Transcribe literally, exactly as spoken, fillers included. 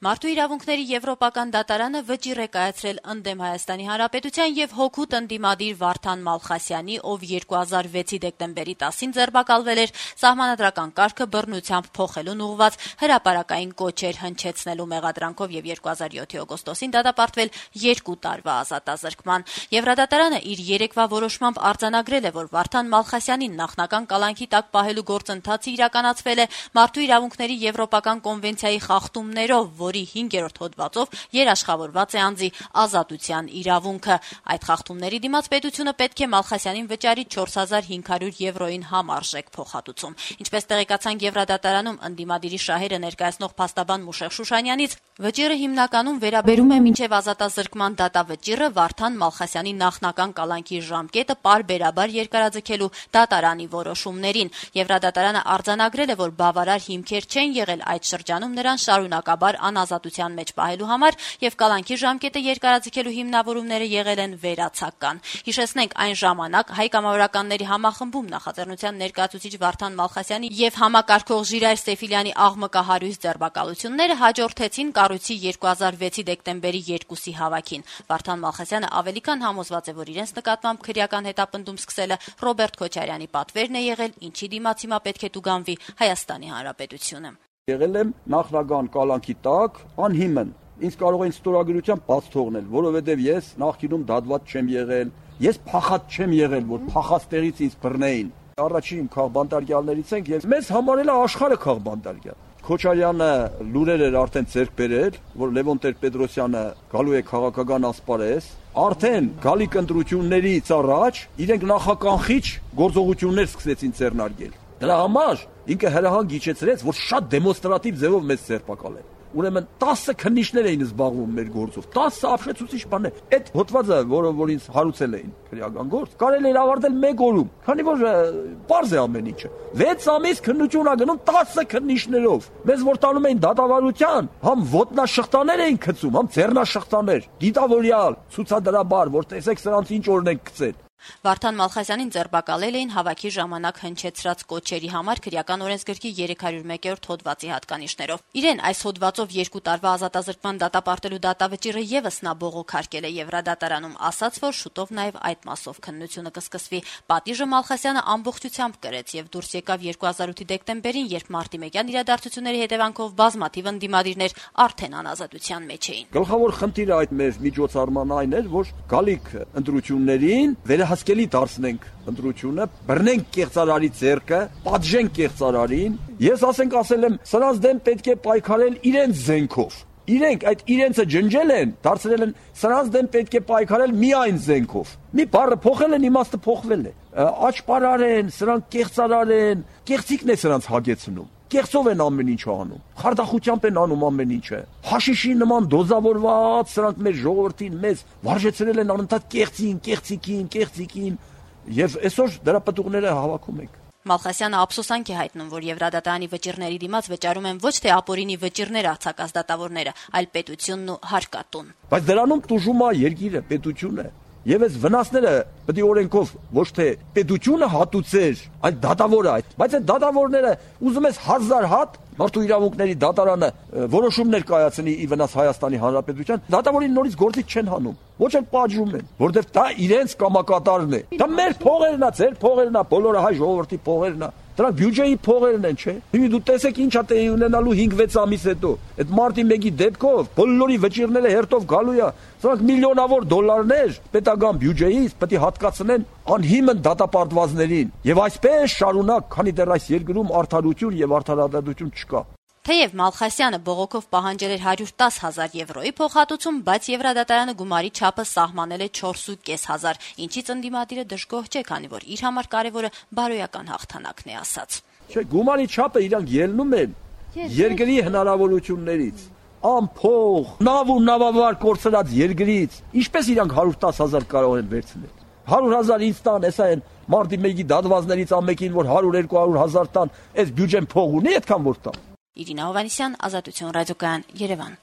Մարդու իրավունքների եվրոպական դատարանը վճիռ է կայացրել ընդդեմ Հայաստանի Հանրապետության եւ հօգուտ ընդդիմադիր Վարդան Մալխասյանի, ով երկու հազար վեցի դեկտեմբերի տասին ձերբակալվել էր, սահմանադրական կարգը բռնությամբ փոխելուն ուղղված հրապարակային կոչեր հնչեցնելու մեղադրանքով եւ երկու հազար յոթի օգոստոսին դատապարտվել երկու տարվա ազատազրկման։ Եվրադատարանը իր երեկվա որոշմամբ արձանագրել է, որ Վարդան Մալխասյանին նախնական կալանքի տակ պահելու գործընթացը իրականացվել է Մարդու իրավունքների եվրոպական կոնվենցիայի խախտումներով, որի հինգերորդ հոդվածով երաշխավորված է անձի ազատության իրավունքը։ Այդ խախտումների դիմաց պետությունը պետք է Մալխասյանին վճարի չորս հազար հինգ հարյուր եվրոյին համարժեք փոխհատուցում։ Ինչպես տեղեկացանք Եվրադատարանում ընդդիմադիրի շահերը ներկայացնող փաստաբան Մուշեղ Շուշանյանից, վճիռը հիմնականում վերաբերում է մինչև ազատազրկման դատավճիռը Վարդան Մալխասյանի նախնական կալանքի ժամկետը պարբերաբար երկարաձգելու դատարանի որոշումներին։ Եվրադատարանը արձանագրել է, որ բավարար հիմքեր չեն եղել այդ շրջանում նրան շարունակաբար անազատության մեջ պահելու համար եւ կալանքի ժամկետը երկարաձգելու հիմնավորումները եղել են վերացական։ Հիշեցնենք, այն ժամանակ հայ կամավորականների համախմբում նախաձեռնության ներկայացուցիչ Վարդան Մալխասյանի եւ համակարգող Ժիրայր Սեֆիլյանի աղմկահարույց ձերբակալությունները հաջորդեցին կառույցի երկու հազար վեցի դեկտեմբերի երկուսի հավաքին։ Վարդան Մալխասյանը ավելի քան համոզված է, որ իրենց նկատմամբ քրեական հետապնդում սկսելը Ռոբերտ Քոչարյանի պատվերն է եղել, ինչի դիմաց հիմա պետք է տուգանվի Հայաստանի Հանրապետությունը։ Եղել եմ նախնական կալանքի տակ անհիմն։ Ինձ կարող են ստորագրությամբ բաց թողնել, որովհետև ես նախկինում դատված չեմ եղել, ես փախած չեմ եղել, որ փախած տեղից ինձ բռնեին։ Առաջին քաղբանտարկյալներից ենք եւ մեզ համարել է աշխարհը քաղբանտարկյալ։ Քոչարյանը լուրեր էր արդեն ձեռք բերել, որ Լևոն Տեր-Պետրոսյանը գալու է քաղաքական ասպարեզ, արդեն գալիք ընտրություններից առաջ իրենք նախականխիչ գործողություններ սկսեցին ձեռնարկել։ Դրա համար ինքը հրահանգ իջեցրեց, որ շատ դեմոնստրատիվ ձևով մեզ ձերբակալեն։ Ուրեմն տասը քննիչներ էին զբաղվում մեր գործով, տասը ապշեցուցիչ բաներ։ Այդ հոդվածը, որը որ ինձ հարուցել էին քրեական գործ, կարելի էր ավարտել մեկ օրում, քանի որ պարզ է ամեն ինչը։ վեց ամիս քննություն ա գնում տասը քննիչներով։ Մեզ որ տանում էին դատավարության, համ ոտնաշղթաներ էին գցում, համ ձեռնաշղթաներ, դիտավորյալ, ցուցադրաբար, որ տեսեք սրանց ինչ օրն են գցել։ Վարդան Մալխասյանին ձերբակալել էին հավաքի ժամանակ հնչեցրած կոչերի համար քրեական օրենսգրքի երեք հարյուր մեկերորդ հոդվածի հատկանիշներով։ Իրեն այս հոդվածով երկու տարվա ազատազրկման դատապարտելու դատավճիռը եւս նա բողոքարկել է Եվրադատարանում, ասաց, որ շուտով նաեւ այդ մասով քննությունը կսկսվի։ Պատիժը Մալխասյանը ամբողջությամբ կրեց եւ դուրս եկավ երկու հազար ութի դեկտեմբերին, երբ մարտիմեկյան իրադարձությունների հետևանքով բազմաթիվ ընդդիմադիրներ արդեն անազատության մեջ էին։ Գլխավոր խնդիրը այդ մեր միջոցառման այն էր, որ գալիք ընտրություններին հասկելի դարձնենք ընտրությունը, բռնենք կեղծարարի ձեռքը, պատժենք կեղծարարին։ Ես ասենք ասել եմ, սրանց դեմ պետք է պայքարել իրենց զենքով։ Իրենք այդ իրենցը ջնջել են, դարձրել են, սրանց դեմ պետք է պայքարել միայն զենքով։ Մի բառը փոխել են, իմաստը փոխվել է։ Աճպարար են, սրանք կեղծարար են, կեղծիկն է սրանց հագեցնում։ Կեղծով են ամեն ինչ անում, խարդախությամբ են անում ամեն ինչը։ Հաշիշի նման դոզավորված սրանք մեր ժողովրդին մեզ վարժեցրել են անընդհատ կեղծին, կեղծիկին, կեղծիկին, եւ այսօր դրա պատուղները հավաքում ենք։ Մալխասյանը ափսոսանք է հայտնում, որ Եվրադատարանի վճիռների դիմաց վճարում են ոչ թե ապօրինի վճիռներ արձակած դատավորները, այլ պետությունն ու հարկատուն։ Բայց դրանում տուժում է երկիրը, պետությունը։ Եվ այս վնասները պետք է օրենքով ոչ թե պետությունը հատուցեր, այլ դատավորը այդ։ Բայց այդ դատավորները ուզում ես հազար հատ Մարդու իրավունքների դատարանը որոշումներ կայացնի ի վնաս Հայաստանի Հանրապետության, դատավորին նորից գործից չեն հանում, ոչ էլ պատժում են, որտեղ դա իրենց կամակատարն է։ Դա մեր փողերն է, ձեր փողերն է, բոլորը հայ ժողովրդի փողերն է։ Դրանք բյուջեի փողերն են, չէ՞։ Հիմա դու տեսեք ինչա տեղի ունենալու հինգ վեց ամիս հետո։ Այդ մարտի մեկի դեպքով բոլորի վճիռները հերթով գալու է։ Սրանք միլիոնավոր դոլարներ պետական բյուջեից պետք է հատկացնեն անհիմն դատապարտվածներին։ Եվ այսպես շարունակ, քանի դեռ այս երկրում արդարություն եւ արդարադատություն չկա։ Թեև Մալխասյանը բողոքով պահանջել էր հարյուր տասը հազար եվրոյի փոխհատուցում, բայց Եվրադատարանը գումարի չափը սահմանել է չորս ու կես հազար, ինչից ընդդիմադիրը դժգոհ չէ, քանի որ իր համար կարևորը բարոյական հաղթանակն է ասաց։ Չէ, գումարի չափը իրանք ելնում են երկրի հնարավորություններից, ամփող, նավ ու նավավար կորցրած երկրից, ինչպես իրանք հարյուր տասը հազար կարող են վերցնել։ հարյուր հազար ինձ տան, հեսա են մարտի մեկի դատվածներից ամենին, որ հարյուր երկու հարյուր հազար տան, այս բյուջեն փող ունի այդքան որ տան։ Իրինա Հովհաննիսյան, Ազատություն ռադիոկայան, Երևան։